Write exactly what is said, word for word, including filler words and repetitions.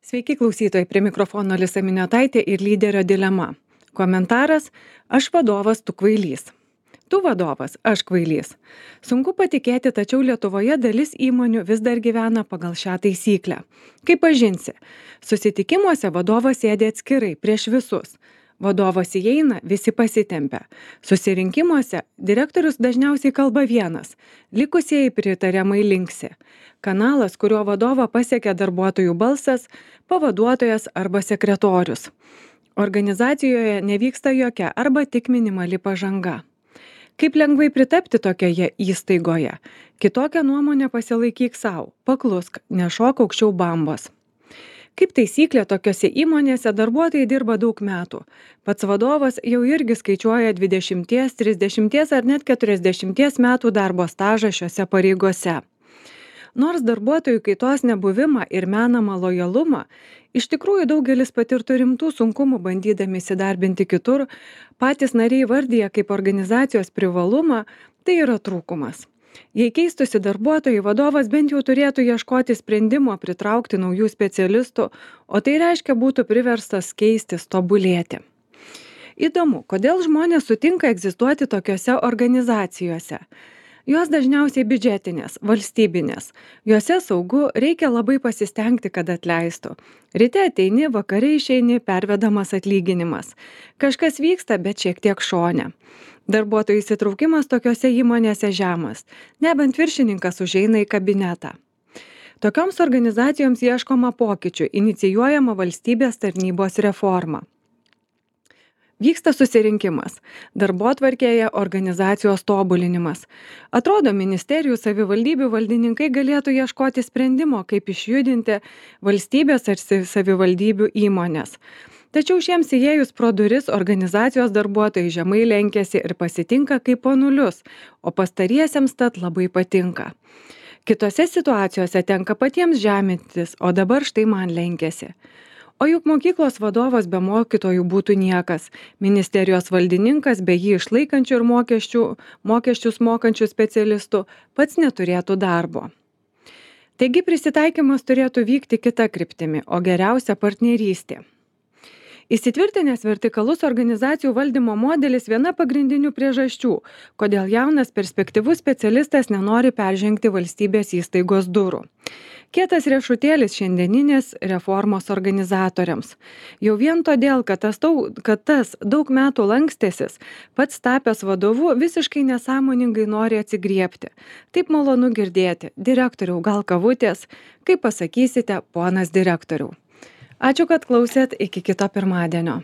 Sveiki klausytojai, prie mikrofono Alisa Miniotaitė ir lyderio dilema. Komentaras: aš vadovas, tu kvailys. Tu vadovas, aš kvailys. Sunku patikėti, tačiau Lietuvoje dalis įmonių vis dar gyvena pagal šią taisyklę. Kaip pažinsi? Susitikimuose vadovas sėdi atskirai prieš visus. Vadovas įeina, visi pasitempia. Susirinkimuose direktorius dažniausiai kalba vienas, likusieji pritariamai linksi. Kanalas, kuriuo vadovą pasiekia darbuotojų balsas, pavaduotojas arba sekretorius. Organizacijoje nevyksta jokia arba tik minimali pažanga. Kaip lengvai pritapti tokioje įstaigoje? Kitokią nuomonę pasilaikyk savo, paklusk, nešok aukščiau bambos. Kaip taisyklė, tokiose įmonėse darbuotojai dirba daug metų. Pats vadovas jau irgi skaičiuoja dvidešimt, trisdešimt ar net keturiasdešimt metų darbo stažą šiose pareigose. Nors darbuotojų kaitos nebuvimą ir menamą lojalumą, iš tikrųjų daugelis patirtų rimtų sunkumų bandydami įsidarbinti kitur, patys nariai vardija kaip organizacijos privalumą, tai yra trūkumas. Jei keistusi darbuotojai, vadovas bent jau turėtų ieškoti sprendimo pritraukti naujų specialistų, o tai reiškia būtų priverstas keistis, tobulėti. Įdomu, kodėl žmonės sutinka egzistuoti tokiose organizacijose. Jos dažniausiai biudžetinės, valstybinės. Jose saugu, reikia labai pasistengti, kad atleistų. Ryte ateini, vakare išeini, pervedamas atlyginimas. Kažkas vyksta, bet šiek tiek šone. Darbuotojų įsitraukimas tokiose įmonėse žemas, nebent viršininkas užeina į kabinetą. Tokioms organizacijoms ieškoma pokyčių, inicijuojama valstybės tarnybos reforma. Vyksta susirinkimas, darbotvarkėje organizacijos tobulinimas. Atrodo, ministerijų savivaldybių valdininkai galėtų ieškoti sprendimo, kaip išjudinti valstybės ar savivaldybių įmonės. Tačiau šiems įėjus pro duris organizacijos darbuotojai žemai lenkiasi ir pasitinka kaip ponulius, o pastariesiems tad labai patinka. Kitose situacijose tenka patiems žemintis, o dabar štai man lenkiasi. O juk mokyklos vadovas be mokytojų būtų niekas, ministerijos valdininkas be jį išlaikančių ir mokesčių, mokesčius mokančių specialistų pats neturėtų darbo. Taigi prisitaikymas turėtų vykti kita kryptimi, o geriausia partnerystė. Įsitvirtinęs vertikalus organizacijų valdymo modelis viena pagrindinių priežasčių, kodėl jaunas perspektyvus specialistas nenori peržengti valstybės įstaigos durų. Kietas riešutėlis šiandieninės reformos organizatoriams. Jau vien todėl, kad tas, tau, kad tas daug metų lankstėsis, pats tapęs vadovu visiškai nesąmoningai nori atsigriebti. Taip malonu girdėti: direktoriau, gal kavutės? Kaip pasakysite, ponas direktoriau. Ačiū, kad klausėt, iki kito pirmadienio.